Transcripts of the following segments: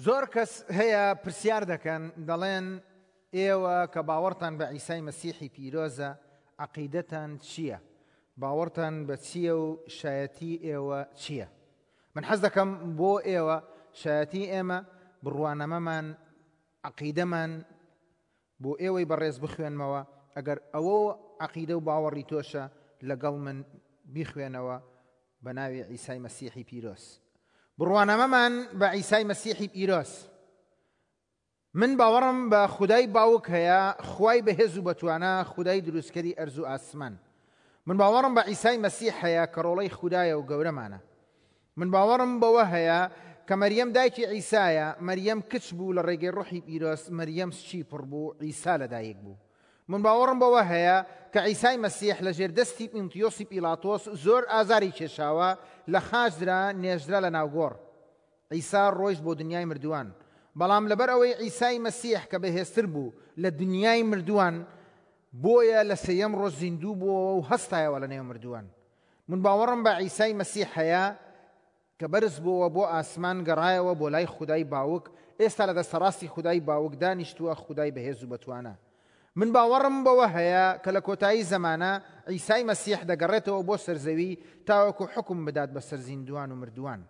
زۆر کەس هەیە پرسیار دەکەن دەڵێن ئێوە کە باوەڕتان بە عیسای مەسیحی پیرۆزە عەقیدەتان چییە؟ باوەڕتان بە چییە و شایەتی ئێوە چییە؟ من حەز دەکەم بۆ ئێوە شایەتی ئێمە بڕوانامەمان عەقیدەمان بۆ ئێوەی بەڕێز بخوێنمەوە ئەگەر ئەوە عەقیدە و باوەڕی تۆشە لەگەڵ من بیخوێنەوە بە ناوی عیسای مەسیحی پیرۆز. بڕوانامەمان بە عیسای مەسیحی پیرۆز. من باوەڕم بە خودای باوک هەیە، خوای بەهێز و بەتوانا، خودای دروستکەری ئەرز و ئاسمان. من باوەڕم بە عیسای مەسیح هەیە کە ڕۆڵەی خودایە و گەورەمانە. من باوەڕم بەوە هەیە کە مەریەم دایکی عیسایە، مەریەم کچ بوو لە ڕێگەی ڕۆحی پیرۆز، مەریەم سکی پڕ بوو، عیسا لەدایک بوو. من باوەڕم بەوە هەیە کە عیسای مەسیح لە ژێر دەستی پینتیۆسی پیڵاتۆس زۆر ئازاری کێشاوە، لە خاچ درا، نێژرا لە ناو گۆڕ. عیسا ڕۆیشت بۆ دنیای مردووان. بەڵام لەبەر ئەوەی عیسای مەسیح کە بەهێزتر بوو لە دنیای مردووان، بۆیە لە سێیەم ڕۆژ زیندوو بووەوە و هەستایەوە لە نێو مردووان. من باوەڕم بە عیسای مەسیح هەیە کە بەرز بۆوە بۆ ئاسمان گەڕایەوە بۆ لای خودای باوک، ئێستا لە دەستەڕاستی خودای باوک دانیشتووە، خودای بەهێز و بەتوانا. من باوەڕم بەوە هەیە کە لە کۆتایی زەمانە عیسای مەسیح دەگەڕێتەوە بۆ سەر زەوی تاوەکو حوکم بدات بەسەر زیندووان و مردووان.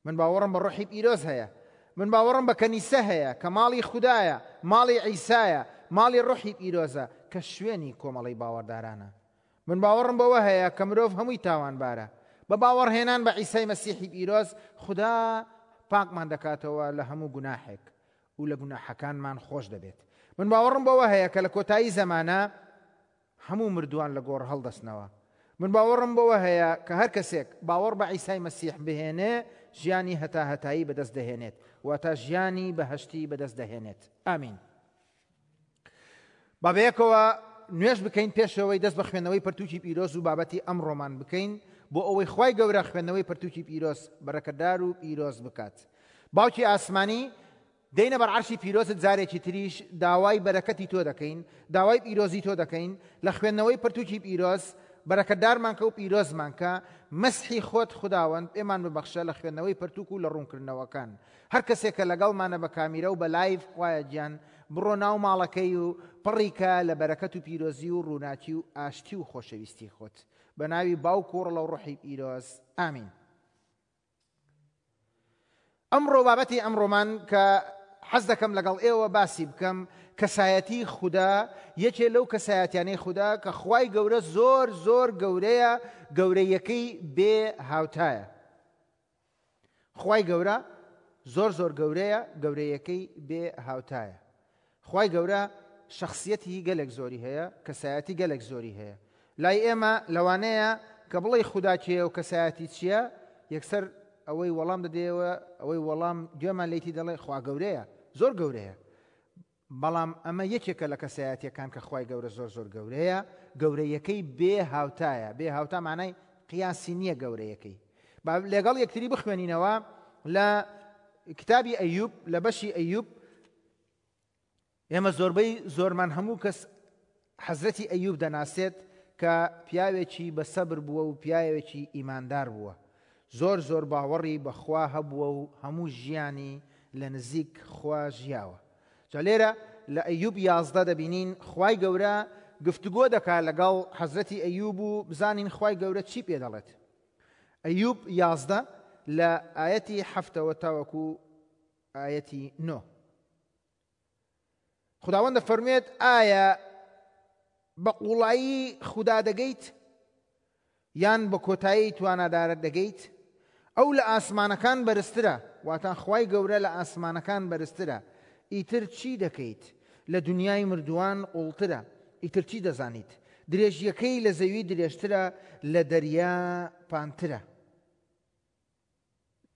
من باوەڕم بە ڕۆحی پیرۆز هەیە. من باوەڕم بە کەنیسە هەیە کە ماڵی خودایە، ماڵی عیسایە، ماڵی ڕۆحی پیرۆزە کە شوێنی کۆمەڵەی باوەڕدارانە. من باوەڕم بەوە هەیە کە مرۆڤ هەمووی تاوانبارە. بە باوەڕهێنان بە عیسای مەسیحی پیرۆز، خودا پاکمان دەکاتەوە لە هەموو گوناحێک و لە گوناحەکانمان خۆش دەبێت. من باوەڕم بەوە هەیە کە لە کۆتایی زەمانە هەموو مردووان لە گۆڕ هەڵدەستنەوە. من باوەڕم بەوە هەیە کە هەر کەسێک باوەڕ بە عیسای مەسیح بهێنێ ژیانی هەتاهەتایی بەدەست دەهێنێت، واتە ژیانی بەهەشتی بەدەست دەهێنێت. ئامین. با بەیەکەوە نوێژ بکەین پێشەوەی دەست بە خوێندنەوەی پەرتوکی پیرۆز و بابەتی ئەمڕۆمان بکەین بۆ ئەوەی خوای گەورە خوێندنەوەی پەرتوکی پیرۆز بەرەکەدار و پیرۆز بکات. باوکی ئاسمانی دێینە بەر عەرشی پیرۆزت جارێکی تریش داوای بەرەکەتی تۆ دەکەین داوای پیرۆزی تۆ دەکەین لە خوێندنەوەی پەرتوکی پیرۆز بەرەکەتدارمان کە و پیرۆزمان کە مەسحی خۆت خوداوەند پێمان ببەخشە لە خوێندنەوەی پەرتوک و لە ڕوونکردنەوەکان هەر کەسێک کە لەگەڵمانە بە کامیرە و بە لایڤ خوایە گیان بڕۆ ناو ماڵەکەی و پڕی کە لە بەرەکەت و پیرۆزی و ڕووناکی و ئاشتی و خۆشەویستی خۆت بە ناوی باوک و ڕڵە و ڕۆحی پیرۆز ئامین. ئەمڕۆ بابەتی ئەمڕۆمان کە حەز دەکەم لەگەڵ ئێوە باسی بکەم کەسایەتی خودا یەکێ لەو کەسایەتیانەی خودا کە خوای گەورە زۆر زۆر گەورەیە گەورەیەکەی بێ هاوتایە خوای گەورە زۆر زۆر گەورەیە گەورەیەکەی بێ هاوتایە خوای گەورە شەخسیەتی گەلێک زۆری هەیە، کەسایەتی گەلێک زۆری هەیە. لای ئێمە لەوانەیە کە بڵێی خودا کێیە و کەسایەتی چییە، یەکسەر ئەوەی وەڵام دەدەیەوە، ئەوەی وەڵام گوێمان لێیتی دەڵێ خوا گەورەیە، زۆر گەورەیە. بەڵام ئەمە یەکێکە لە کەسایەتیەکان کە خوای گەورە زۆر زۆر گەورەیە، گەورەیەکەی بێ هاوتایە، بێ هاوتا مانای قیاسی نییە گەورەیەکەی. با لەگەڵ یەکتری بخوێنینەوە لە کتابی ئەیوب لە بەشی ئەیوب ئێمە زۆربەی زۆرمان هەموو کەس حەزرەتی ئەیوب دەناسێت کە پیاوێکی بە سەبر بووە و پیاوێکی ئیماندار بووە زۆر زۆر باوەڕی بەخوا هەبووە و هەموو ژیانی لە نزیک خوا ژیاوە جا لێرە لە ئەیوب 11 دەبینین خوای گەورە گفتوگۆ دەکا لەگەڵ حەزرەتی ئەیوب و بزانین خوای گەورە چی پێ دەڵێت ئەیوب 11 لە ئایەتی حەفتەوە تاوەکو ئایەتی نۆ خداوەند دەفەرموێت ئایا بە قوڵایی خودا دەگەیت یان بە کۆتایی توانادارە دەگەیت ئەو لە ئاسمانەکان بەرزترە واتە خوای گەورە لە ئاسمانەکان بەرزترە ئیتر چی دەکەیت لە دنیای مردووان قوڵترە ئیتر چی دەزانیت درێژیەکەی لە زەوی درێژترە لە دەریا پانترە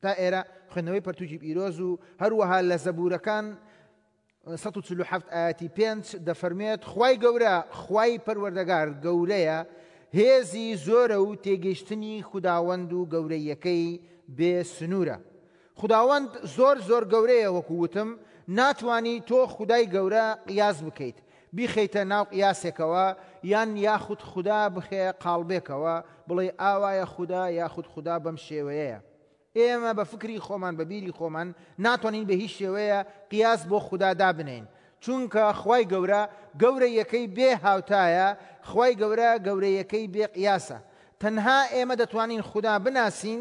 تا ئێرە خوێندنەوەی پەرتوکی پیرۆز و هەروەها لە زەبورەکان 147 ئاەتی پێنج دەفەرمێت خوای گەورە خوای پەروەردەگار گەورەیە هێزی زۆرە و تێگەیشتنی خوداوەند و گەورەیەکەی بێ سنوورە خوداوەند زۆر زۆر گەورەیە وەکو وتم ناتوانی تۆ خودای گەورە قیاس بکەیت بیخەیتە ناو قیاسێکەوە یان یاخود خودا بخەیە قاڵبێکەوە بڵێی ئاوایە خودا یاخود خودا بەم شێوەیەیە. ئێمە بە فکری خۆمان بە بیری خۆمان ناتوانین بە هیچ شێوەیە قیاس بۆ خودا دابنێین چونکە خوای گەورە گەورەیەکەی بێ هاوتایە خوای گەورە گەورەیەکەی بێ قیاسە تەنها ئێمە دەتوانین خودا بناسین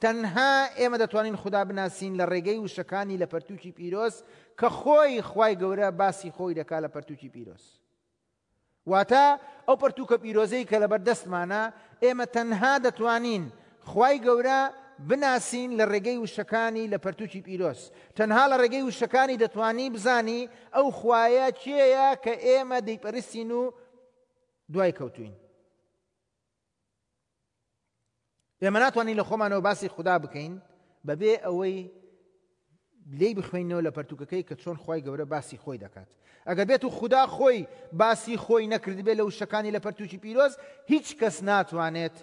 تەنها ئێمە دەتوانین خودا بناسین لە ڕێگەی وشەکانی لە پەرتووکی پیرۆز کە خۆی خوای گەورە باسی خۆی دەکا لە پەرتووکی پیرۆز. واتە ئەو پەرتووکە پیرۆزەی کە لەبەر دەستمانە ئێمە تەنها دەتوانین خوای گەورە بناسین لە ڕێگەی وشەکانی لە پەرتووکی پیرۆز. تەنها لە ڕێگەی وشەکانی دەتوانی بزانی ئەو خوایە کێیە کە ئێمە دەیپەرستین و دوای کەوتوین. ئێمە ناتوانین لە خۆمانەوە باسی خودا بکەین بەبێ ئەوەی لێی بخوێنەوە لە پەرتوکەکەی کە چۆن خی گەورە باسی خۆی دەکات ئەگەر بێت و خودا خۆی باسی خۆی نەکردبێت لە وشەکانی لە پەرتوکی پیرۆز هیچ کەس ناتوانێت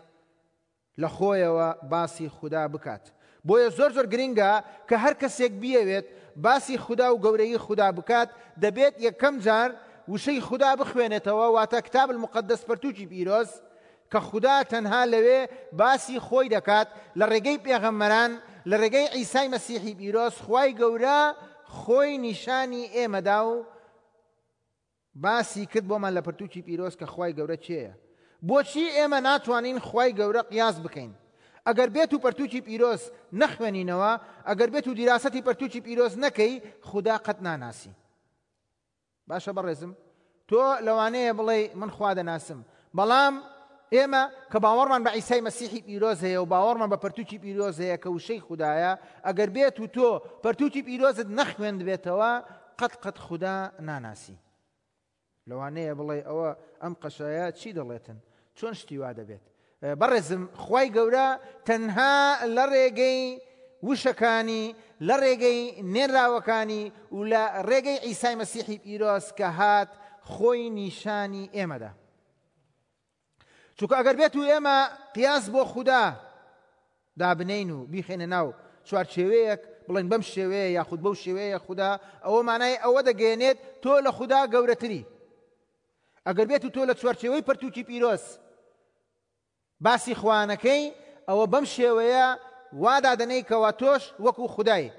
لە خۆیەوە باسی خودا بکات بۆیە زۆر زۆر گرنگە کە هەر کەسێک بیەوێت باسی خودا و گەورەیی خودا بکات دەبێت یەکەم جار وشەی خودا بخوێنێتەوە واتە کتاب المقدس پەرتوکی پیرۆز کە خودا تەنها لەوێ باسی خۆی دەکات لە ڕێگەی پێغەمبەران، لە ڕێگەی عیسای مەسیحی پیرۆز خوای گەورە خۆی نیشانی ئێمەدا و باسی کرد بۆمان لە پرتوکی پیرۆز کە خوای گەورە کێیە. بۆچی ئێمە ناتوانین خوای گەورە قیاس بکەین؟ ئەگەر بێت و پەرتوکی پیرۆز نەخوێنینەوە، ئەگەر بێت و دیراسەتی پەرتوکی پیرۆز نەکەی، خودا قەت ناناسی. باشە بەڕێزم تۆ لەوانەیە بڵێی من خوا دەناسم بەڵام ئێمە کە باوەڕمان بە عیسای مەسیحی پیرۆز هەیە و باوەڕمان بە پەرتوکی پیرۆز هەیە کە وشەی خودایە ئەگەر بێت و تۆ پەرتوکی پیرۆزت نەخوێندبێتەوە قەت قەت خودا ناناسی لەوانەیە بڵێ ئەوە ئەم قەشایە چی دەڵێتن چۆن شتی وا دەبێت؟ بەڕێزم خوای گەورە تەنها لە ڕێگەی وشەکانی لە ڕێگەی نێراوەکانی و لە ڕێگەی عیسای مەسیحی پیرۆز کە هات خۆی نیشانی ئێمەدا چونکە ئەگەر بێت و ئێمە قیاس بۆ خودا دابنین و بیخێنە ناو چوارچێوەیەک بڵێن بەم شێوەیە یاخود بەو شێوەیە خودا ئەوە مانای ئەوە دەگەێنێت تۆ لە خودا گەورەتری ئەگەر بێت و تۆ لە چوارچێوەی پەرتوکی پیرۆز باسی خوانەکەی ئەوە بەم شێوەیە وا دادەنێی کەوا تۆش وەکو خودای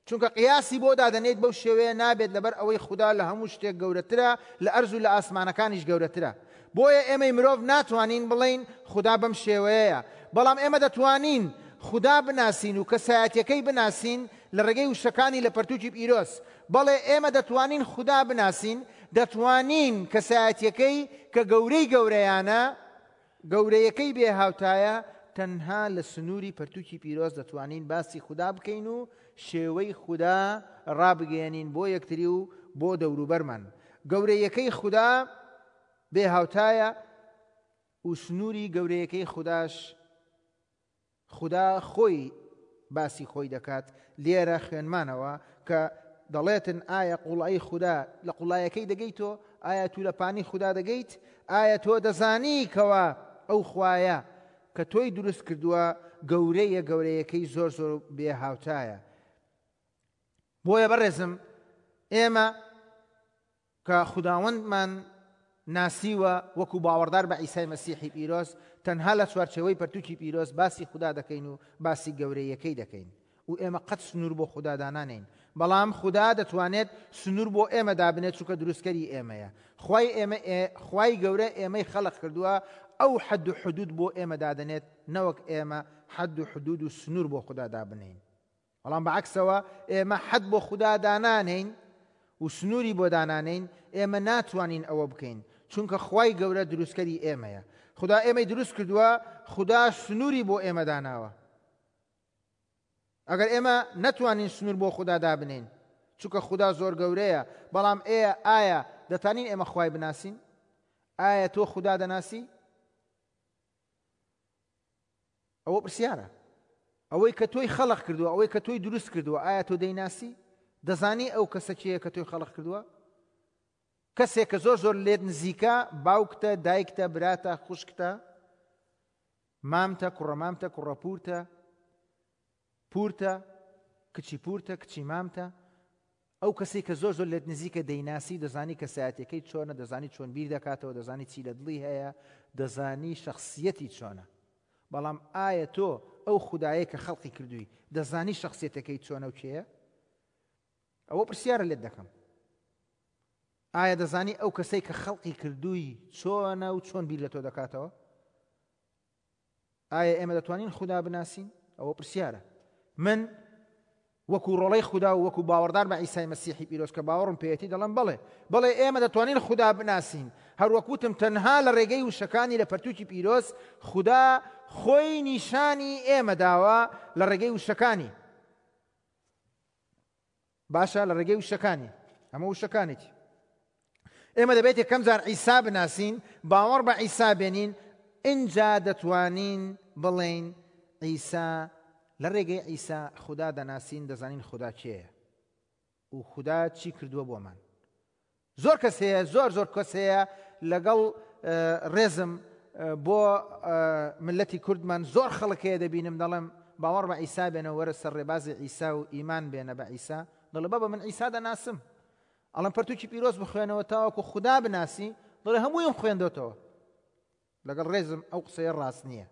چونکە قیاسی بۆ دادەنێیت بەو شێوەیە نابێت لەبەر ئەوەی خودا لە هەموو شتێک گەورەترە لە ئەرز و لە ئاسمانەکانیش گەورەترە بۆیە ئێمەی مرۆڤ ناتوانین بڵێین خودا بەم شێوەیەیە بەڵام ئێمە دەتوانین خودا بناسین و کەسایەتیەکەی بناسین لە ڕێگەی وشەکانی لە پەرتوکی پیرۆز بەڵێ ئێمە دەتوانین خودا بناسین، دەتوانین کەسایەتیەکەی کە گەورەی گەورەیانە، گەورەیەکەی بێ هاوتایە، تەنها لە سنووری پەرتوکی پیرۆز دەتوانین باسی خودا بکەین و شێوەی خودا ڕابگەیەنین بۆ یەکتری و بۆ دەوروبەرمان. گەورەیەکەی خودا بێ هاوتایە و سنووری گەورەیەکەی خوداش خودا خۆی باسی خۆی دەکات لێرە خوێنمانەوە کە دەڵێتن ئایا قوڵایی خودا لە قوڵایەکەی دەگەیت تۆ ئایا تو لە پانی خودا دەگەیت ئایا تۆ دەزانی کەوا ئەو خوایە کە تۆی دروست کردووە گەورەیە گەورەیەکەی زۆر زۆر بێ هاوتایە بۆیە بەڕێزم ئێمە کە خوداوەندمان ناسیوە وەکو باوەڕدار بە عیسای مەسیحی پیرۆز، تەنها لە چوارچێوەی پەرتوکی پیرۆز باسی خودا دەکەین و باسی گەورەییەکەی دەکەین و ئێمە قەت سنوور بۆ خودا دانانێین، بەڵام خودا دەتوانێت سنوور بۆ ئێمە دابنێت چونکە دروستکەری ئێمەیە، خوای ئێمە خوای گەورە ئێمەی خەلق کردووە ئەو حەد و حدود بۆ ئێمە دادەنێت نەوەک ئێمە حەد و حدود و سنوور بۆ خودا دابنێین. بەڵام بە عەکسەوە ئێمە حەد بۆ خودا دانانێین و سنووری بۆ دانانێین، ئێمە ناتوانین ئەوە بکەین، چونکە خوای گەورە دروستکەری ئێمەیە. خودا ئێمەی دروست کردووە، خودا سنووری بۆ ئێمە داناوە. ئەگەر ئێمە نەتوانین سنوور بۆ خودا دابنێین، چونکە خودا زۆر گەورەیە، بەڵام ئێ ئایا دەتانین ئێمە خوای بناسین؟ ئایا تۆ خودا دەناسی؟ ئەوە پرسیارە. ئەوەی کە تۆی خەڵق کردووە، ئەوەی کە تۆی دروست کردووە، ئایا تۆ دەیناسی؟ دەزانی ئەو کەسە کێیە کە تۆی خەڵق کردووە؟ کەسێک کە زۆر زۆر لێت نزیکە، باوکتە، دایکتە، براتە، خوشکتە، مامتە، کوڕەمامتە، کوڕەپوورتە، پوورتە، کچی پوورتە، کچی مامتە، ئەو کەسەی کە زۆر زۆر لێت نزیکە دەیناسی دەزانی کەسایەتیەکەی چۆنە دەزانی چۆن بیر دەکاتەوە دەزانی چی لە دڵی هەیە دەزانی شەخسیەتی چۆنە بەڵام ئایا تۆ ئەو خودایەی کە خەڵقی کردووی دەزانی شەخسیەتەکەی چۆنە و کێیە؟ ئەوە پرسیارە لێت دەکەم. ئایا دەزانی ئەو کەسەی کە خەڵقی کردووی چۆنە و چۆن بیر لە تۆ دەکاتەوە؟ ئایا ئێمە دەتوانین خودا بناسین؟ ئەوە پرسیارە. من وەکو ڕۆڵەی خودا و وەکو باوەڕدار بە عیسای مەسیحی پیرۆز کە باوەڕم پێیەتی دەڵێم بەڵێ، بەڵێ ئێمە دەتوانین خودا بناسین، هەروەک وتم تەنها لە ڕێگەی وشەکانی لە پەرتووکی پیرۆز خودا خۆی نیشانی ئێمە داوە لە ڕێگەی وشەکانی. باشە لە ڕێگەی وشەکانی ئەمە وشەکانێتی ئێمە دەبێت یەکەم جار عیسا بناسین باوەڕ بە عیسا بێنین ئینجا دەتوانین بڵێین عیسا لە ڕێگەی عیسا خودا دەناسین دەزانین خودا کێیە و خودا چی کردووە بۆمان زۆر کەس هەیە زۆر زۆر کەس هەیە لەگەڵ ڕێزم بۆ ملەتی کوردمان زۆر خەڵک هەیە دەبینم دەڵێم باوەڕ بە عیسا بێنە وەرە سەر ڕێبازی عیسا و ئیمان بێنە بە عیسا دەڵێ بابە من عیسا دەناسم ئەڵم پەرتوکی پیرۆز بخوێنەوە تاوەکو خودا بناسی دەڵێ هەموویم خوێندۆتەوە لەگەڵ ڕێزم ئەو قسەیە ڕاست نییە.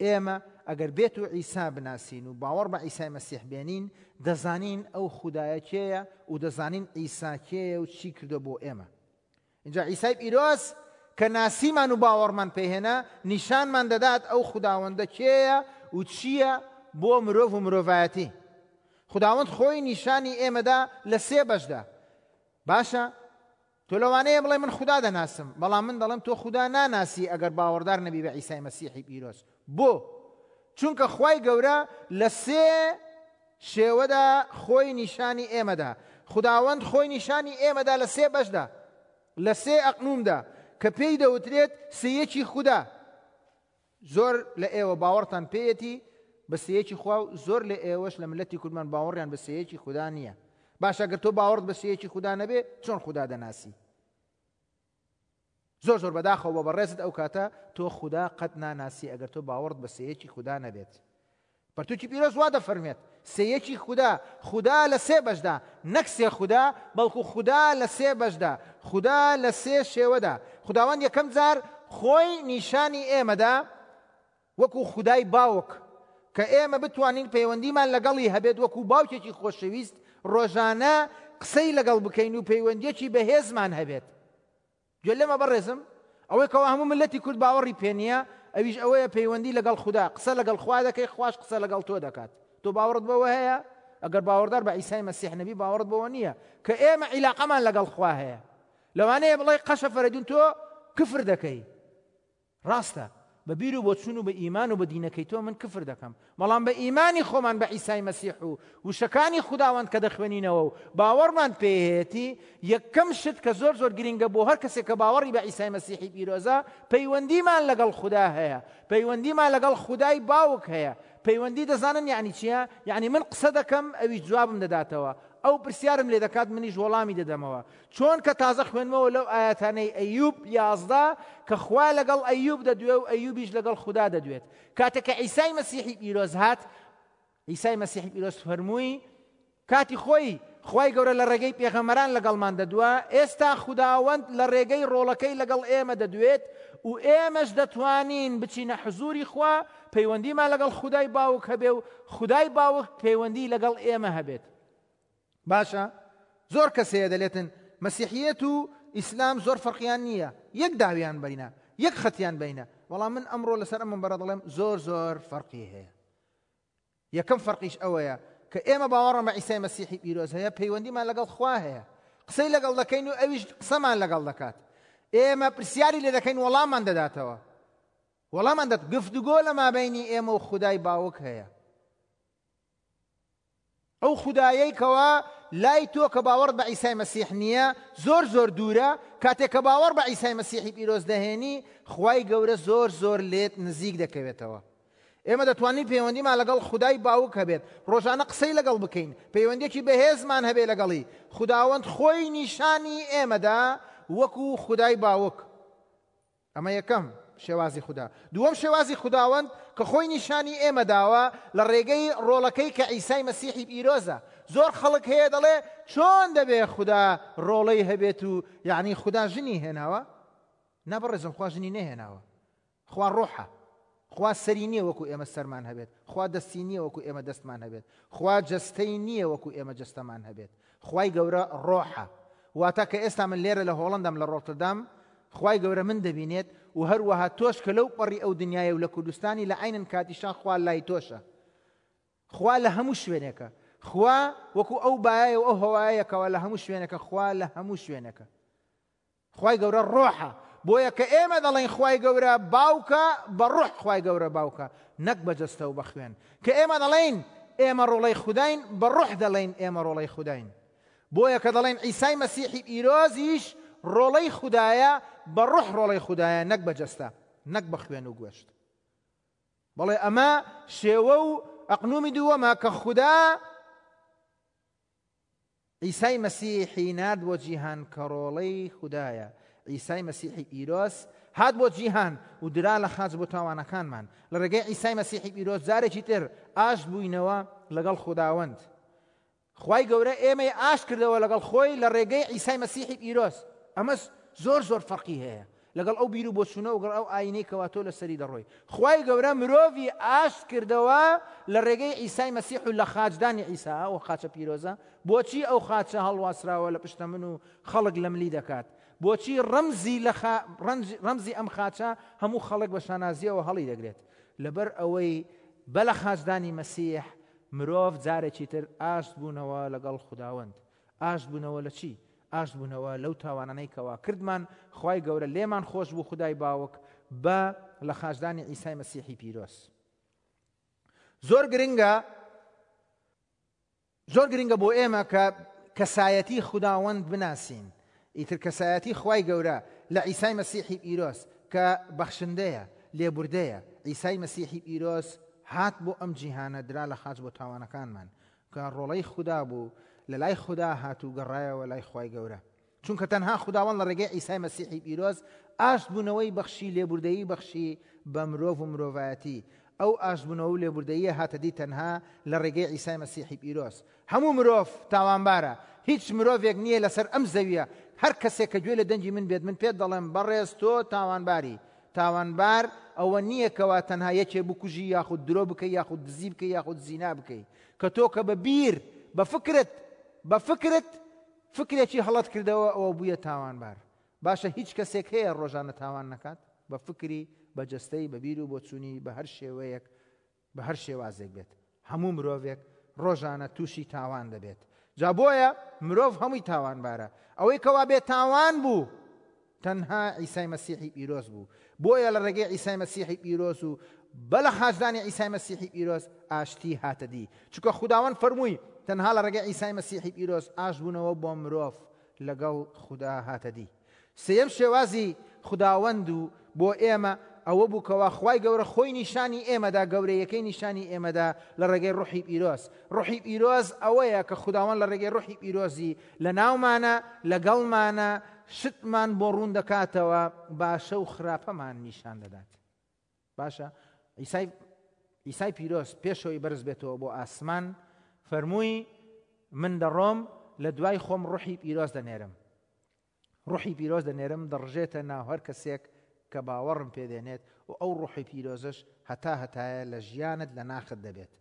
ئێمە ئەگەر بێت و عیسا بناسین و باوەڕ بە عیسای مەسیح بێنین، دەزانین ئەو خودایە کێیە و دەزانین عیسا کێیە و چی کردوە بۆ ئێمە. ئینجا عیسای پیرۆز کە ناسیمان و باوەڕمان پێهێنا، نیشانمان دەدات ئەو خوداوەندە کێیە و چییە بۆ مرۆڤ و مرۆڤایەتی. خوداوەند خۆی نیشانی ئێمەدا لە سێ بەشدا. باشە تۆ لەوانەیە بڵێ من خودا دەناسم، بەڵام من دەڵێم تۆ خودا ناناسی ئەگەر باوەڕدار نەبی بە عیسای مەسیحی پیرۆز. بۆ؟ چونکە خوای گەورە لە سێ شێوەدا خۆی نیشانی ئێمەدا. خوداوەند خۆی نیشانی ئێمەدا لە سێ بەشدا، لە سێ ئەقنومدا کە پێی دەوترێت سێیەکی خودا. زۆر لە ئێوە باوەڕتان پێیەتی بە سێیەکی خوا و زۆر لە ئێوەش لە ملەتی کوردمان باوەڕیان بە سێیەکی خودا نییە. باشە گەر تۆ باوەڕت بە سێیەکی خودا نەبێ چۆن خودا دەناسی؟ زۆر زۆر بەداخەوە بۆ بەڕێزت ئەو کاتە تۆ خودا قەت ناناسی ئەگەر تۆ باوەڕت بە سێیەکی خودا نەبێت. پەرتوکی پیرۆز وا دەفەرموێت، سێیەکی خودا، خودا لە سێ بەشدا، نەک سێ خودا، بەڵکو خودا لە سێ بەشدا، خودا لە سێ شێوەدا. خوداوەند یەکەم جار خۆی نیشانی ئێمەدا وەکو خودای باوک، کە ئێمە بتوانین پەیوەندیمان لەگەڵی هەبێت وەکو باوکێکی خۆشەویست ڕۆژانە قسەی لەگەڵ بکەین و پەیوەندیەکی بەهێزمان هەبێت. گوێ لەمە بەڕێزم، ئەوەی کەوا هەموو مللەتی کورد باوەڕی پێ نییە، ئەویش ئەوەیە پەیوەندی لەگەڵ خودا، قسە لەگەڵ خوا دەکەی، خواش قسە لەگەڵ تۆ دەکات. تۆ باوەڕت بەوە هەیە؟ ئەگەر باوەڕدار بە عیسای مەسیح نەبی باوەڕت بەوە نییە کە ئێمە عیلاقەمان لەگەڵ خوا هەیە. لەوانەیە بڵێی قەشە فەرەیدون تۆ کفر دەکەی. ڕاستە، بە بیر و بۆچوون و بە ئیمان و بە دینەکەی تۆ من کفر دەکەم، بەڵام بە ئیمانی خۆمان بە عیسای مەسیح و وشەکانی خوداوەند کە دەخوێنینەوە و باوەڕمان پێیەتی، یەکەم شت کە زۆر زۆر گرینگە بۆ هەر کەسێک کە باوەڕی بە عیسای مەسیحی پیرۆزە، پەیوەندیمان لەگەڵ خودا هەیە، پەیوەندیمان لەگەڵ خودای باوک هەیە. پەیوەندی دەزانن یەعنی چییە؟ یەعنی من قسە دەکەم ئەویش جوابم دەداتەوە، ئەو پرسیارم لێ دەکات منیش وەڵامی دەدەمەوە. چۆن کە تازە خوێندمەوە لەو ئایەتانەی ئەیوب 11 کە خوا لەگەڵ ئەیوب دەدوێ و ئەیوبیش لەگەڵ خودا دەدوێت. کاتێک کە عیسای مەسیحی پیرۆز هات، عیسای مەسیحی پیرۆز فەرمووی کاتی خۆی خوای گەورە لە ڕێگەی پێغەمبەران لەگەڵمان دەدوا، ئێستا خوداوەند لە ڕێگەی ڕۆڵەکەی لەگەڵ ئێمە دەدوێت و ئێمەش دەتوانین بچینە حزوری خوا، پەیوەندیمان لەگەڵ خودای باوک هەبێ و خودای باوک پەیوەندی لەگەڵ ئێمە هەبێت. باشە زۆر کەس هەیە دەلێتن مەسیحیەت و ئیسلام زۆر فەرقیان نییە یەک داویان بینە یەک خەتیان بینە بەڵام من ئەمڕۆ لەسەر ئەم منبەرە دەڵێم زۆر زۆر فەرقی هەیە یەکەم فەرقیش ئەوەیە کە ئێمە باوەڕم بە عیسای مەسیحی پیرۆز هەیە پەیوەندیمان لەگەڵ خوا هەیە قسەی لەگەڵ دەکەین و ئەویش قسەمان لەگەڵ دەکات ئێمە پرسیاری لێ دەکەین وەڵاممان دەداتەوە وەڵامان دەت گفتوگۆ لە مابینی ئێمە و خودای باوک هەیە ئەو خودایەی کەوا لای تۆ کە باوەڕت بە عیسای مەسیح نییە زۆر زۆر دوورە، کاتێک کە باوەڕ بە عیسای مەسیحی پیرۆز دەهێنی خوای گەورە زۆر زۆر لێت نزیک دەکەوێتەوە. ئێمە دەتوانین پەیوەندیمان لەگەڵ خودای باوک هەبێت، ڕۆژانە قسەی لەگەڵ بکەین، پەیوەندیەکی بەهێزمان هەبێت لەگەڵی، خوداوەند خۆی نیشانی ئێمەدا وەکو خودای باوک. ئەمە یەکەم شێوازی خودا. دووەم شێوازی خوداوەند کە خۆی نیشانی ئێمە داوە لە ڕێگەی ڕۆڵەکەی کە عیسای مەسیحی پیرۆزە. زۆر خەڵک هەیە دەڵێ چۆن دەبێ خودا ڕۆڵەی هەبێت و یعنی خودا ژنی هێناوە؟ نا بەڕێزم خوا ژنی نەهێناوە. خوا ڕۆحە. خوا سەری نییە وەکو ئێمە سەرمان هەبێت. خوا دەستی نییە وەکو ئێمە دەستمان هەبێت. خوا جەستەی نییە وەکو ئێمە جەستەمان هەبێت. خوای گەورە ڕۆحە. واتە کە ئێستا من لێرە لە هۆڵەندام لە ڕۆتردام، خوای گەورە من دەبینێت و هەروەها تۆش کە لەو پەڕی ئەو دنیایە و لە کوردستانی لە عەینن کاتیشا خوا لای تۆشە. خوا لە هەموو شوێنێکە. خوا وەکو ئەو بایە و ئەو هەوایە کەوا لە هەموو شوێنێکە، خوا لە هەموو شوێنێکە. خوای گەورە ڕۆحە. بۆیە کە ئێمە دەڵێین خوای گەورە باوکە، بە ڕۆح خوای گەورە باوکە، نەک بە جەستە و بە خوێن. کە ئێمە دەڵێین ئێمە ڕۆڵەی خوداین، بە ڕۆح دەڵێین ئێمە ڕۆڵەی خوداین. بۆیە کە دەڵێین عیسای مەسیحی پیرۆزیش ڕۆڵەی خودایە، بە ڕۆح ڕۆڵەی خودایە نەک بە جەستە، نەک بە خوێن و گۆشت. بەڵێ ئەمە شێوە و ئەقنومی دووەمە کە خودا عیسای مەسیحی نارد بۆ جیهان کە ڕۆڵەی خودایە. عیسای مەسیحی پیرۆز هات بۆ جیهان و درا لە خاچ بۆ تاوانەکانمان. لە ڕێگەی عیسای مەسیحی پیرۆز جارێکی تر ئاشت بووینەوە لەگەڵ خوداوەند. خوای گەورە ئێمەی ئاشت کردەوە لەگەڵ خۆی لە ڕێگەی عیسای مەسیحی پیرۆز. ئەمەش زۆر زۆر فەرقی هەیە لەگەڵ ئەو بیر و بۆچوونە و گەڵ ئەو ئاینەی کەوا تۆ لەسەری دەڕۆی. خوای گەورە مرۆڤی ئاشت کردەوە لە ڕێگەی عیسای مەسیح و لە خاچدانی عیسا، ئەو خاچە پیرۆزە. بۆچی ئەو خاچە هەڵواسراوە لە پشتە من و خەڵک لە ملی دەکات؟ بۆچی ڕەمزی لە خا ڕەمزی ئەم خاچە هەموو خەڵک بە شانازیەوە هەڵی دەگرێت؟ لەبەر ئەوەی بە لە خاچدانی مەسیح مرۆڤ جارێکی تر ئاشت بوونەوە لەگەڵ خوداوەند. ئاشت بوونەوە لە چی؟ ئاشت بوونەوە لەو تاوانانەی کەوا کردمان، خوای گەورە لێمان خۆش بوو خودای باوک بە لە خاچدانی عیسای مەسیحی پیرۆز. زۆر گرنگە زۆر گرنگە بۆ ئێمە کە کەسایەتی خوداوەند بناسین. ئیتر کەسایەتی خوای گەورە لە عیسای مەسیحی پیرۆز کە بەخشندەیە، لێبوردەیە. عیسای مەسیحی پیرۆز هات بۆ ئەم جیهانە درا لە خاچ بۆ تاوانەکانمان. کە ڕۆڵەی خودا بوو، لە لای خودا هات و گەڕایەوە لای خوای گەورە. چونکە تەنها خوداوەند لە ڕێگەی عیسای مەسیحی پیرۆز ئاشتبوونەوەی بەخشی، لێبوردەیی بەخشی بە مرۆڤ و مرۆڤایەتی. ئەو ئاشتبوونەوە و لێبوردەییە هاتە دی تەنها لە ڕێگەی عیسای مەسیحی پیرۆز. هەموو مرۆڤ تاوانبارە. هیچ مرۆڤێک نییە لەسەر ئەم زەویە، هەر کەسێک کە گوێ لە دەنگی من بێت، من پێت دەڵێم بەڕێز تۆ تاوانباری. تاوانبار ئەوە نییە کەوا تەنها یەکێ بکوژی یاخود درۆ بکەی یاخود دزی بکەی یاخود زینا بکەی. کە تۆ کە بە بیر، بە فکرت، بە فکرت فکرێکی هەڵەت کردەوە ئەوە بوویە تاوانبار. باشە هیچ کەسێک هەیە ڕۆژانە تاوان نەکات؟ بە فکری، بە جەستەی، بە بیر و بۆچوونی، بە هەر شێوەیەک، بە هەر شێوازێک بێت. هەموو مرۆڤێک ڕۆژانە تووشی تاوان دەبێت. جا بۆیە مرۆڤ هەمووی تاوانبارە. ئەوەی کەوا بێ تاوان بوو تەنها عیسای مەسیحی پیرۆز بوو. بۆیە لە ڕێگەی عیسای مەسیحی پیرۆز و بە لە خاچدانی عیسای مەسیحی پیرۆز ئاشتی هاتە دی. چونکە خوداوەند فەرمووی تەنها لە ڕێگەی عیسای مەسیحی پیرۆز ئاشتبوونەوە بۆ مرۆڤ لەگەڵ خودا هاتە دی. سێیەم شێوازی خوداوەند و بۆ ئێمە ئەوە بوو کەوا خوای گەورە خۆی نیشانی ئێمەدا، گەورەیەکەی نیشانی ئێمەدا لە ڕێگەی ڕوحی پیرۆز. ڕوحی پیرۆز ئەوەیە کە خوداوەند لە ڕێگەی ڕوحی پیرۆزی لە ناومانە، لەگەڵمانە، شتمان بۆ ڕوون دەکاتەوە، باشە و خراپەمان نیشان دەدات. باشە عیسای عیسای پیرۆز پێشەوەی بەرز بێتەوە بۆ ئاسمان فەرمووی من دەڕۆم لە دوای خۆم ڕوحی پیرۆز دەنێرم. ڕوحی پیرۆز دەنێرم دەڕژێتە ناو هەر کەسێک کە باوەڕم پێ دێنێت و ئەو ڕوحی پیرۆزەش هەتا هەتایە لە ژیانت لە ناخت دەبێت.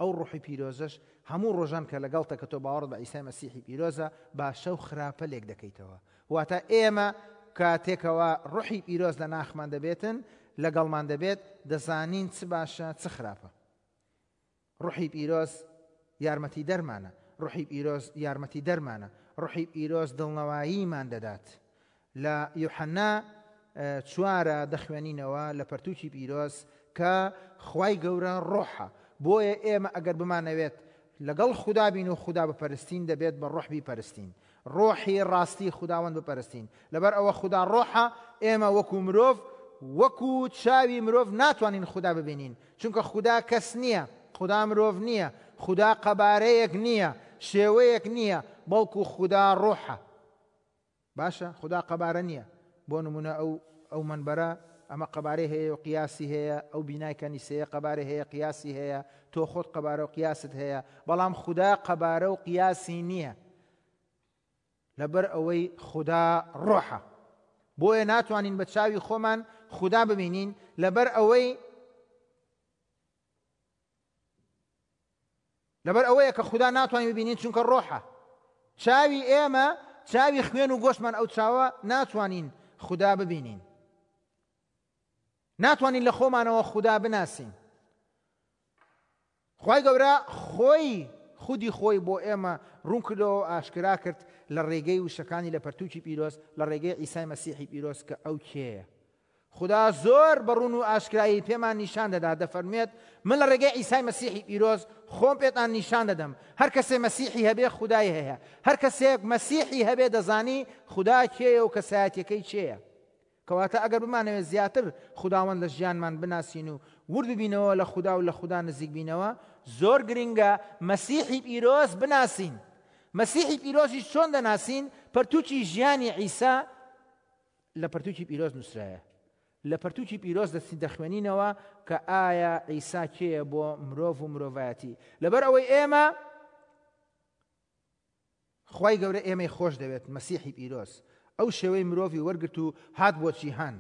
ئەو ڕوحی پیرۆزەش هەموو ڕۆژان کە لەگەڵتە کە تۆ باوەڕت بە عیسای مەسیحی پیرۆزە باشە و خراپە لێک دەکەیتەوە. واتە ئێمە کاتێکەوە ڕوحی پیرۆز لە ناخمان دەبێتن لەگەڵمان دەبێت دەزانین چ باشە چ خراپە. ڕوحی پیرۆز یارمەتیدەرمانە. ڕوحی پیرۆز یارمەتیدەرمانە. ڕوحی پیرۆز دڵنەواییمان دەدات. لە یوحەنا چوارە دەخوێنینەوە لە پەرتووکی پیرۆز کە خوای گەورە ڕۆحە. بۆیە ئێمە ئەگەر بمانەوێت لەگەڵ خودا بین و خودا بپەرستین دەبێت بە ڕۆح بیپەرستین. ڕۆحی ڕاستی خوداوەند بپەرستین. لەبەر ئەوە خودا ڕۆحە، ئێمە وەکو مرۆڤ وەکو چاوی مرۆڤ ناتوانین خودا ببینین، چونکە خودا کەس نییە، خودا مرۆڤ نییە، خودا قەبارەیەک نییە، شێوەیەک نییە، بەڵکو خودا ڕۆحە. باشە خودا قەبارە نییە، بۆ نمونە ئەو ئەو مەنبەرە ئەمە قەبارەی هەیە و قیاسی هەیە، ئەو بینای کەنیسەیە قەبارەی هەیە قیاسی هەیە، تۆ خۆت قەبارە و قیاست هەیە، بەڵام خودا قەبارە و قیاسی نییە. لەبەر ئەوەی خودا ڕۆحە. بۆیە ناتوانین بە چاوی خۆمان خودا ببینین، لەبەر ئەوەی. لەبەر ئەوەیە کە خودا ناتوانین ببینین چونکە ڕۆحە. چاوی ئێمە چاوی خوێن و گۆشتمان ئەو چاوە ناتوانین خودا ببینین. ناتوانین لە خۆمانەوە خودا بناسین. خوای گەورە خۆی خودی خۆی بۆ ئێمە ڕوون کردەوە و ئاشکرا کرد لە ڕێگەی وشەکانی لە پەرتووکی پیرۆز لە ڕێگەی عیسای مەسیحی پیرۆز کە ئەو کێیە. خودا زۆر بە ڕوون و ئاشکرایی پێمان نیشان دەدات دەفەرموێت من لە ڕێگەی عیسای مەسیحی پیرۆز خۆم پێتان نیشان دەدەم. هەر کەسێ مەسیحی هەبێ خودای هەیە. هەر کەسێک مەسیحی هەبێ دەزانی خودا کێیە و کەسایەتیەکەی چێیە. کەواتە ئەگەر بمانەوێت زیاتر خوداوەند لە ژیانمان بناسین و ورد ببینەوە لە خودا و لە خودا نزیک بینەوە، زۆر گرنگە مەسیحی پیرۆز بناسین. مەسیحی پیرۆزیش چۆن دەناسین؟ پەرتوکی ژیانی عیسا لە پەرتوکی پیرۆز نووسرایە. لە پەرتوکی پیرۆز دەچین دەخوێنینەوە کە ئایا عیسا کێیە بۆ مرۆڤ و مرۆڤایەتی. لەبەر ئەوەی ئێمە خوای گەورە ئێمەی خۆش دەوێت مەسیحی پیرۆز ئەو شێوەی مرۆڤی وەرگرت و هات بۆ جیهان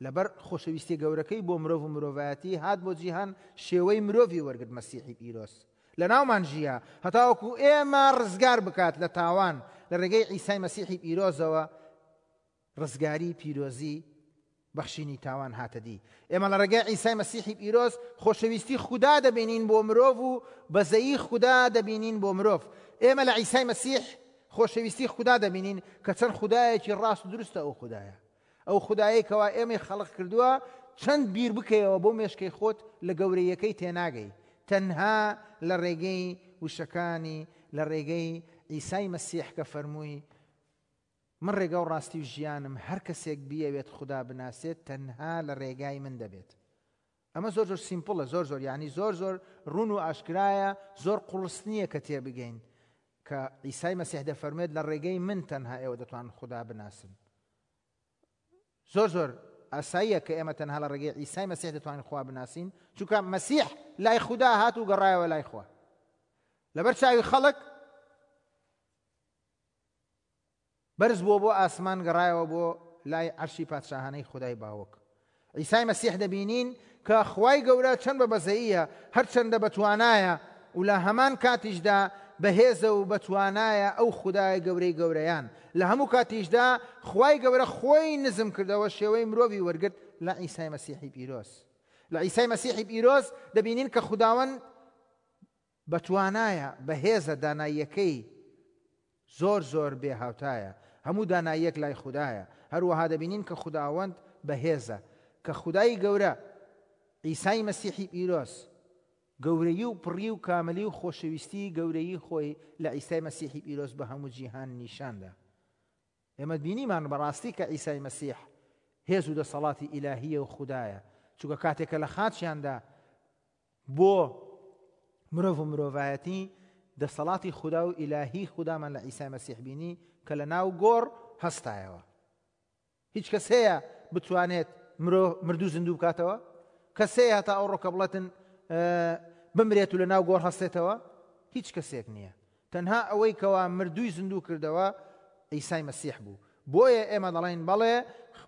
لەبەر خۆشەویستیە گەورەکەی بۆ مرۆڤ و مرۆڤایەتی هات بۆ جیهان شێوەی مرۆڤی وەرگرت مەسیحی پیرۆز لەناومان ژیا هەتاوەکو ئێمە ڕزگار بکات لە تاوان لە ڕێگەی عیسای مەسیحی پیرۆزەوە ڕزگاری پیرۆزی بەخشینی تاوان هاتە دی. ئێمە لە ڕێگای عیسای مەسیحی پیرۆز خۆشەویستی خودا دەبینین بۆ مرۆڤ و بەزەیی خودا دەبینین بۆ مرۆڤ. ئێمە لە عیسای مەسیح خۆشەویستی خودا دەبینین کە چەند خودایەکی ڕاست و دروستە ئەو خودایە. ئەو خودایەی کەوا ئێمەی خەڵق کردووە چەند بیر بکەیەوە بۆ مێشکەی خۆت لە گەورەیەکەی تێناگەی. تەنها لە ڕێگەی وشەکانی لە ڕێگەی عیسای مەسیح کە فەرمووی من ڕێگا و ڕاستی و ژیانم، هەر کەسێک بیەوێت خودا بناسێت تەنها لە ڕێگای من دەبێت. ئەمە زۆر زۆر سیمپڵە، زۆر زۆر یعنی زۆر زۆر ڕوون و ئاشکرایە، زۆر قوڕس نییە کە تێبگەین کە عیسای مەسیح دەفەرموێت لە ڕێگەی من تەنها ئێوە دەتوانن خودا بناسن. زۆر زۆر ئاساییە کە ئێمە تەنها لە ڕێگەی عیسای مەسیح دەتوانین خوا بناسین، چونکە مەسیح لای خودا هات و گەڕایەوە لای خوا. لەبەر چاوی خەڵک بەرز بووە بۆ ئاسمان گەڕایەوە بۆ لای عەرشی پادشاهانەی خودای باوک. عیسای مەسیح دەبینین کە خوای گەورە چەند بە بەزەییە، هەرچەندە بەتوانایە و لە هەمان کاتیشدا بەهێزە و بەتوانایە ئەو خودای گەورەی گەورەیان. لە هەموو کاتیشدا خوای گەورە خۆی نزم کردەوە شێوەی مرۆڤی وەرگرت لە عیسای مەسیحی پیرۆز. لە عیسای مەسیحی پیرۆز دەبینین کە خوداوەند بەتوانایە، بەهێزە، داناییەکەی زۆر زۆر بێ هاوتایە، هەموو داناییەک لای خودایە، هەروەها دەبینین کە خوداوەند بەهێزە، کە خودای گەورە، عیسای مەسیحی پیرۆز، گەورەیی و پڕی و کاملی و خۆشەویستی گەورەیی خۆی لە عیسای مەسیحی پیرۆز بە هەموو جیهان نیشاندا. ئێمە بینیمان بەڕاستی کە عیسای مەسیح هێز و دەسەڵاتی ئیلاهییە و خودایە، چونکە کاتێک کە لە خاچیاندا بۆ مرۆڤ و مرۆڤایەتی دەسەڵاتی خودا و ئیلاهی خودامان لە عیسای مەسیح بینی کە لە ناو گۆڕ هەستایەوە. هیچ کەس هەیە بتوانێت مرۆ مردوو زیندوو بکاتەوە؟ کەس هەیە هەتا ئەوڕۆ کە بڵێتن بمرێت و لە ناو گۆڕ هەستێتەوە؟ هیچ کەسێک نییە. تەنها ئەوەی کەوا مردووی زیندوو کردەوە عیسای مەسیح بوو. بۆیە ئێمە دەڵێین بەڵێ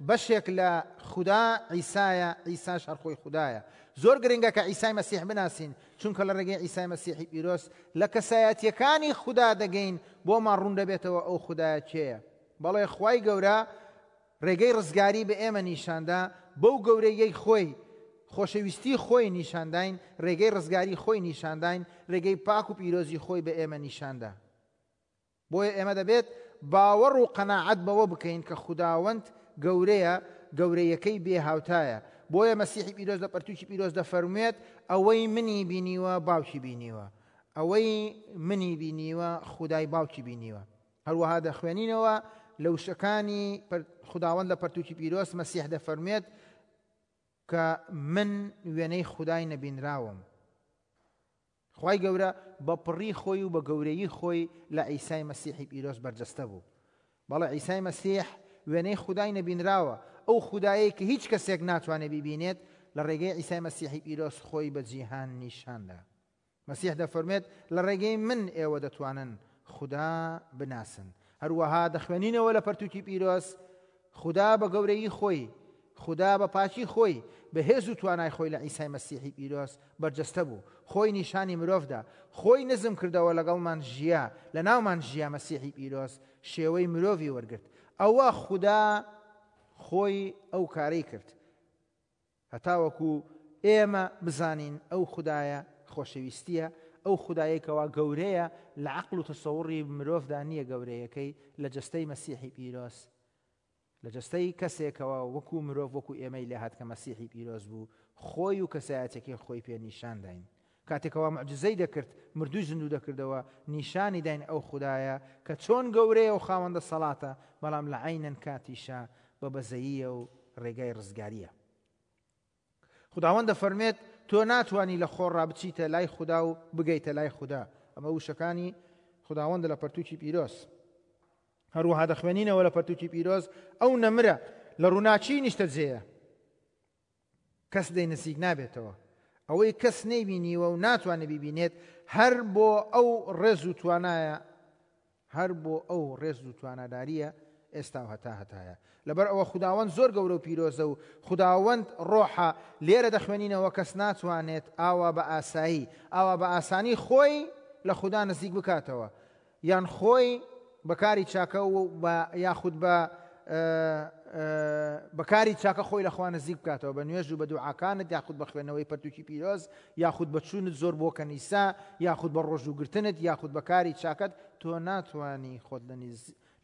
بەشێک لە خودا عیسایە، عیساش هەر خۆی خودایە. زۆر گرنگە کە عیسای مەسیح بناسین، چونکە لە ڕێگەی عیسای مەسیحی پیرۆز لە کەسایەتییەکانی خودا دەگەین، بۆمان ڕوون دەبێتەوە ئەو خودایە کێیە. بەڵێ خوای گەورە ڕێگەی ڕزگاری بە ئێمە نیشاندا، بەو گەورەییەی خۆی، خۆشەویستی خۆی نیشانداین، ڕێگەی ڕزگاری خۆی نیشانداین، ڕێگەی پاک و پیرۆزی خۆی بە ئێمە نیشاندا. بۆیە ئێمە دەبێت باوەڕ و قەناعەت بەوە بکەین کە خوداوەند گەورەیە، گەورەیەکەی بێ هاوتایە. بۆیە مەسیحی پیرۆز لە پەرتووکی پیرۆز دەفەرموێت، ئەوەی منی بینیوە باوکی بینیوە. ئەوەی منی بینیوە خودای باوکی بینیوە. هەروەها دەخوێنینەوە لە وشەکانی خوداوەند لە پەرتووکی پیرۆز مەسیح دەفەرموێت کە من وێنەی خودای نەبینراوم. خوای گەورە بە پڕی خۆی و بە گەورەیی خۆی لە عیسای مەسیحی پیرۆز بەرجەستە بوو. بەڵێ عیسای مەسیح وێنەی خودای نەبینراوە، ئەو خودایەی کە هیچ کەسێک ناتوانێت بیبینێت، لە ڕێگەی عیسای مەسیحی پیرۆز خۆی بە جیهان نیشاندا. مەسیح دەفەرموێت لە ڕێگەی من ئێوە دەتوانن خودا بناسن. هەروەها دەخوێنینەوە لە پەرتوکی پیرۆز خودا بە گەورەیی خۆی خودا بە پاکی خۆی، بە هێز و توانای خۆی لە عیسای مەسیحی پیرۆز بەرجەستە بوو، خۆی نیشانی مرۆڤ دا، خۆی نزم کردەوە لەگەڵمان ژیا، لەناومان ژیا مەسیحی پیرۆز شێوەی مرۆڤی وەرگرت. ئەوە خودا خۆی ئەو کارەی کرد. هەتاوەکو ئێمە بزانین ئەو خودایە خۆشەویستیە، ئەو خودایەی کەوا گەورەیە لە عەقڵ و تەسەوڕی مرۆڤدا نییە گەورەیەکەی لە جەستەی مەسیحی پیرۆز لە جەستەی کەسێکەوە وەکو مرۆڤ وەکو ئێمەی لێهات کە مەسیحی پیرۆز بوو خۆی و کەسایەتەکەی خۆی پێ نیشان داین کاتێکەوە معجزەی دەکرد مردووی زیندوو دەکردەوە نیشانی داین ئەو خودایە کە چۆن گەورەیە و خاوەن دەسەڵاتە بەڵام لە عەینەن کاتیشا بە بەزەییە و ڕێگای ڕزگارییە. خوداوەند دەفەرمێت تۆ ناتوانی لە خۆڕا بچیتە لای خودا و بگەیتە لای خودا. ئەمە وشەکانی خوداوەندە لە پەرتوکی پیرۆز. هەروەها دەخوێنینەوە لە پەرتوکی پیرۆز ئەو نەمرە لە ڕووناکی نیشتەجێیە. کەس لێی نزیک نابێتەوە. ئەوەی کەس نەیبینیوە و ناتوانێت بیبینێت هەر بۆ ئەو ڕێز و توانایە هەر بۆ ئەو ڕێز و تواناداریە ئێستا و هەتا هەتایە. لەبەر ئەوە خوداوەند زۆر گەورە و پیرۆزە و خوداوەند ڕۆحە، لێرە دەخوێنینەوە کەس ناتوانێت ئاوا بە ئاسایی ئاوا بە ئاسانی خۆی لە خودا نزیک بکاتەوە یان خۆی بە کاری چاکە و بە یاخود بە بە کاری چاکە خۆی لە خوا نزیک بکاتەوە بە نوێژ و بە دوعاکانت یاخود بە خوێندنەوەی پەرتوکی پیرۆز یاخود بە چوونت زۆر بۆ کەنیسە یاخود بە ڕۆژووگرتنت یاخود بە کاری چاکەت تۆ ناتوانی خۆت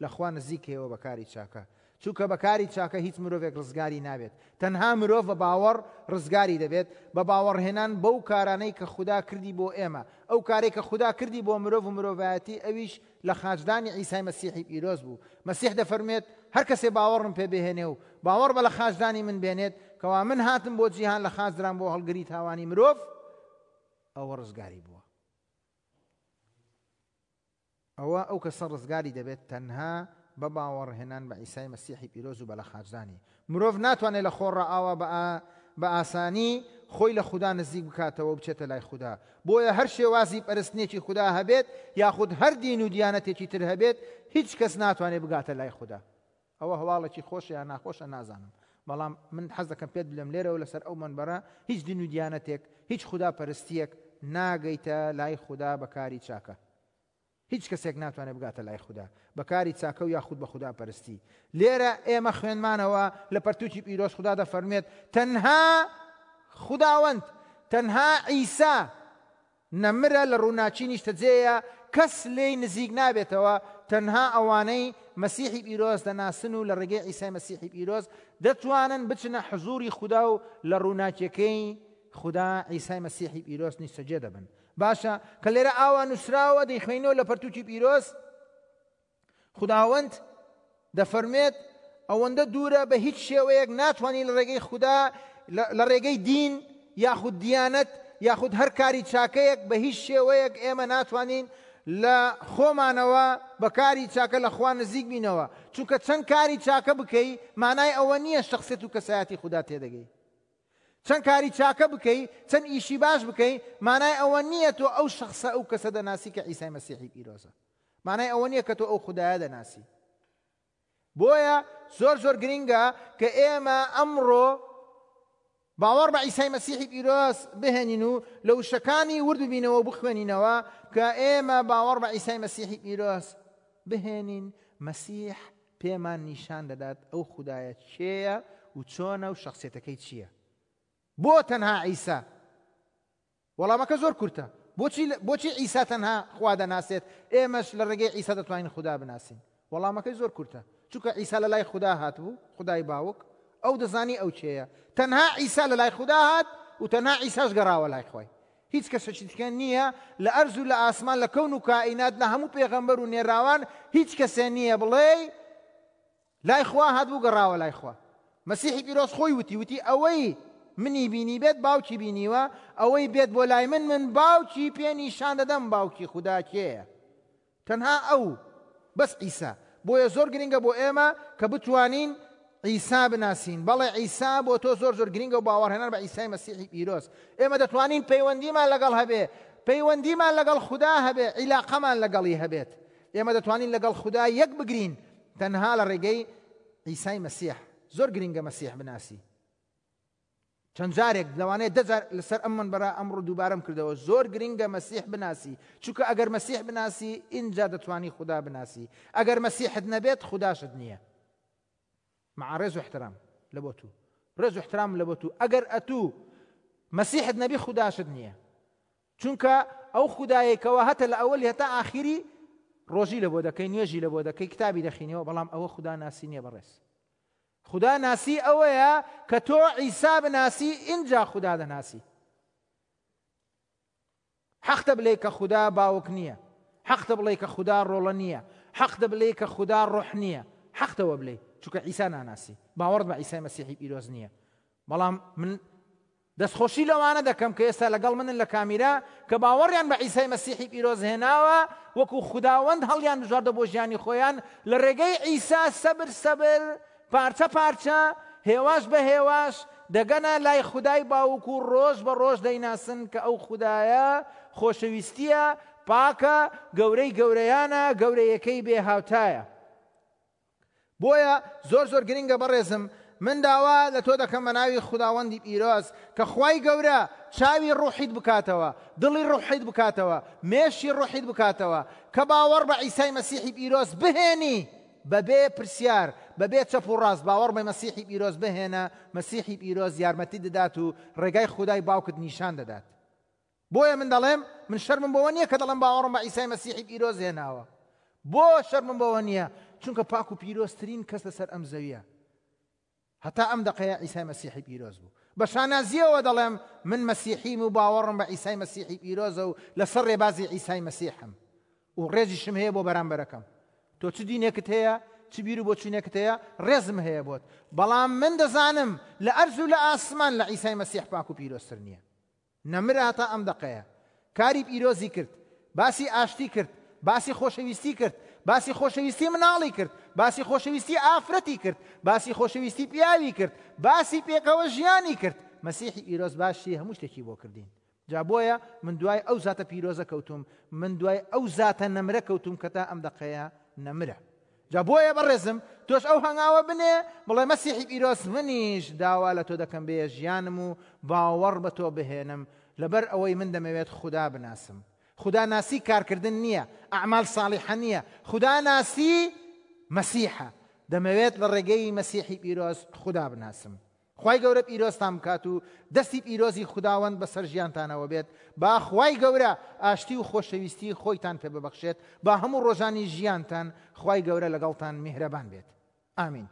لە خوا نزیکەیەوە بە کاری چاکە چونکە بە کاری چاکە هیچ مرۆڤێک ڕزگاری نابێت، تەنها مرۆڤ بە باوەڕ ڕزگاری دەبێت، بە باوەڕهێنان بەو کارانەی کە خودا کردی بۆ ئێمە، ئەو کارەی کە خودا کردی بۆ مرۆڤ و مرۆڤایەتی ئەویش لە خاچدانی عیسای مەسیحی پیرۆز بوو، مەسیح دەفەرموێت، هەر کەسێ باوەڕم پێ بهێنێ و باوەڕ بە لە خاچدانی من بێنێت، کەوا من هاتم بۆ جیهان لە خاچ درام بۆ هەڵگری تاوانی مرۆڤ، ئەوە ڕزگاری بووە. ئەوا ئەو کەسە ڕزگاری دەبێت تەنها بە باوەڕهێنان بە عیسای مەسیحی پیرۆز و بە لەخاچدانی. مرۆڤ ناتوانێت لە خۆڕا ئاوا بە ئاسانی خۆی لە خودا نزیک بکاتەوە و بچێتە لای خودا. بۆیە هەر شێوازی پەرستنێکی خودا هەبێت یاخود هەر دین و دیانەتێکی تر هەبێت هیچ کەس ناتوانێت بگاتە لای خودا. ئەوە هەواڵێکی خۆشە یان ناخۆشە نازانم بەڵام من حەز دەکەم پێت بلێم لێرەوە لەسەر ئەو مەنبەرە هیچ دین و دیانەتێک هیچ خودا پەرستیەک ناگەیتە لای خودا بە کاری چاکە هیچ کەسێک ناتوانێت بگاتە لای خودا بە کاری چاکە و یاخود بە خودا پەرستی لێرە ئێمە خوێنمانەوە لە پەرتوکی پیرۆز خودا دەفەرمێت تەنها خوداوەند تەنها عیسا نەمرە لە ڕووناکی نیشتەجێیە کەس لێی نزیک نابێتەوە تەنها ئەوانەی مەسیحی پیرۆز دەناسن و لە ڕێگەی عیسای مەسیحی پیرۆز دەتوانن بچنە حزوری خودا و لە ڕووناکیەکەی خودا عیسای مەسیحی پیرۆز نیشتەجێ دەبن باشە کە لێرە ئاوا نووسراوە دەیخوێنەوە لە پەرتوکی پیرۆز خوداوەند دەفەرموێت ئەوەندە دوورە بە هیچ شێوەیەک ناتوانانی لە ڕێگەی خودا لە ڕێگەی دین یاخود دیانەت یاخود هەر کاری چاکەیەک بە هیچ شێوەیەک ئێمە ناتوانین لە خۆمانەوە بە کاری چاکە لە خوا نزیک بینەوە چونکە چەند کاری چاکە بکەی مانای ئەوە نییە شخصێت و کەسایەتی خودا تێدەگەی چەند کاری چاکە بکەی چەند ئیشی باش بکەی مانای ئەوە نییە تۆ ئەو شخصە ئەو کەسە دەناسی کە عیسای مەسیحی پیرۆزە مانای ئەوە نییە کە تۆ ئەو خودایە دەناسی. بۆیە زۆر زۆر گرینگە کە ئێمە ئەمڕۆ باوەڕ بە عیسای مەسیحی پیرۆز بهێنین و لە وشەکانی ورد ببینەوە و بخوێنینەوە کە ئێمە باوەڕ بە عیسای مەسیحی پیرۆز بهێنین مەسیح پێمان نیشان دەدات ئەو خودایە کێیە و چۆنە و شخصیتەکەی چییە بۆ تەنها عیسا وەڵامەکە زۆر کورتە، بۆچی بۆچی عیسا تەنها خوا دەناسێت، ئێمەش لە ڕێگەی عیسا دەتوانین خودا بناسین؟ وەڵامەکەی زۆر کورتە، چونکە عیسا لە لای خودا هاتبوو، خودای باوک، ئەو دەزانی ئەو کێیە، تەنها عیسا لە لای خودا هات و تەنها عیساش گەڕاوە لای خوای. هیچ کەسێکی دیکە نییە لە ئەرز و لە ئاسمان لە کەون و کائینات لە هەموو پێغەمبەر و نێراوان هیچ کەسێ نییە بڵێی لای خوا هاتبوو گەڕاوە لای خوا. مەسیحی پیرۆز خۆی وتی، وتی ئەوەی منی بینیبێت باوکی بینیوە، ئەوەی بێت بۆ لای من، من باوکی پێ نیشان دەدەم باوکی خودا کێیە. تەنها ئەو، بەس عیسا. بۆیە زۆر گرنگە بۆ ئێمە کە بتوانین عیسا بناسین. بەڵێ عیسا بۆ تۆ زۆر زۆر گرنگە و باوەڕهێنان بە عیسای مەسیحی پیرۆز. ئێمە دەتوانین پەیوەندیمان لەگەڵ هەبێ، پەیوەندیمان لەگەڵ خودا هەبێ، عیلاقەمان لەگەڵی هەبێت. ئێمە دەتوانین لەگەڵ خودا یەک بگرین تەنها لە ڕێگەی عیسای مەسیح. زۆر گرنگە مەسیح بناسی. چەند جارێک، لەوانەیە دە جار لەسەر ئەم مەنبەرە ئەمڕۆ دووبارەم کردەوە، زۆر گرنگە مەسیح بناسی، چونکە ئەگەر مەسیح بناسی ئینجا دەتوانی خودا بناسی، ئەگەر مەسیحت نەبێت خوداشت نییە. مع ڕێز و احترام لە بۆ تو، ڕێز و احترام لە بۆ تو، ئەگەر ئەتوو مەسیحت نەبی خوداشت نییە، چونکە ئەو خودایەی کەوا هەتە لە ئەوەلی هەتا ئاخیری ڕۆژی لە بۆ دەکەی، نوێژی لە بۆ دەکەی، کتابی دەخینەوە، بەڵام ئەوە خودا ناسی نییە بەڕێز. خودا ناسی ئەوەیە کە تۆ عیسا بناسی ئینجا خودا دەناسی. حەقتە بلێ کە خودا باوک نییە، حەقتە بڵێ کە خودا ڕۆڵە نییە، حەقتە بلێ کە خودا ڕۆح نییە، حەقتەوە بلێ چونکە عیسا ناناسی، باوەڕت بە عیسای مەسیحی پیرۆز نییە. بەڵام من دەستخۆشی لەوانە دەکەم کە ئێستا لەگەڵ منن لە کامیرا کە باوەڕیان بە عیسای مەسیحی پیرۆز هێناوە، وەکو خوداوەند هەڵیان بژاردە بۆ ژیانی خۆیان لە ڕێگەی عیسا سەبر سەبر پارچە پارچە هێواش بە هێواش دەگەنە لای خودای باوک و ڕۆژ بە ڕۆژ دەیناسن کە ئەو خودایە خۆشەویستیە، پاکە، گەورەی گەورەیانە، گەورەیەکەی بێ هاوتایە. بۆیە زۆر زۆر گرنگە بەڕێزم من داوا لە تۆ دەکەم بە ناوی خوداوەندی پیرۆز کە خوای گەورە چاوی ڕوحیت بکاتەوە، دڵی ڕوحیت بکاتەوە، مێشکی ڕوحیت بکاتەوە کە باوەڕ بە عیسای مەسیحی پیرۆز بهێنی بەبێ پرسیار، بەبێ چەپ و ڕاست باوەڕ بە مەسیحی پیرۆز بهێنە، مەسیحی پیرۆز یارمەتیت دەدات و ڕێگای خودای باوکت نیشان دەدات. بۆیە من دەڵێم من شەرمم بەوە نییە کە دەڵێم باوەڕم بە عیسای مەسیحی پیرۆز هێناوە. بۆ شەرمم بەوە نییە؟ چونکە پاک و پیرۆزترین کەس لەسەر ئەم زەویە هەتا ئەم دەقەیە عیسای مەسیحی پیرۆز بوو. بە شانازییەوە دەڵێم من مەسیحیم و باوەڕم بە عیسای مەسیحی پیرۆزە و لەسەر ڕێبازی عیسای مەسیحم و ڕێزیشم هەیە بۆ بەرامبەرەکەم. تۆ چ دینێکت هەیە، چ بیر و بۆچوونێکت هەیە، ڕێزم هەیە بۆت، بەڵام من دەزانم لە ئەرز و لە ئاسمان لە عیسای مەسیح پاک و پیرۆزتر نییە. نەمرە هەتا ئەم دەقەیە. کاری پیرۆزی کرد، باسی ئاشتی کرد، باسی خۆشەویستی کرد، باسی خۆشەویستی مناڵی کرد، باسی خۆشەویستی ئافرەتی کرد، باسی خۆشەویستی پیاوی کرد، باسی پێکەوە ژیانی کرد. مەسیحی پیرۆز باشی هەموو شتێکی بۆ کردین. جا بۆیە من دوای ئەو زاتە پیرۆزە کەوتوم، من دوای ئەو زاتە نەمرە کەوتوم کە تا ئەم دەقەیە نەمرە. جا بۆیە بەڕێزم تۆش ئەو هەنگاوە بنێ بڵێ مەسیحی پیرۆز منیش داوا لە تۆ دەکەم بێیە ژیانم و باوەڕ بە تۆ بهێنم لەبەر ئەوەی من دەمەوێت خودا بناسم. خودا ناسی کارکردن نییە، ئەعمال ساڵیحە نییە، خودا ناسی مەسیحە. دەمەوێت لە ڕێگەی مەسیحی پیرۆز خودا بناسم. خوای گەورە پیرۆزتان بکات و دەستی پیرۆزی خوداوەند بەسەر ژیانتانەوە بێت، با خوای گەورە ئاشتی و خۆشەویستی خۆیتان پێ ببەخشێت، با هەموو ڕۆژانی ژیانتان خوای گەورە لەگەڵتان میهرەبان بێت. ئامین.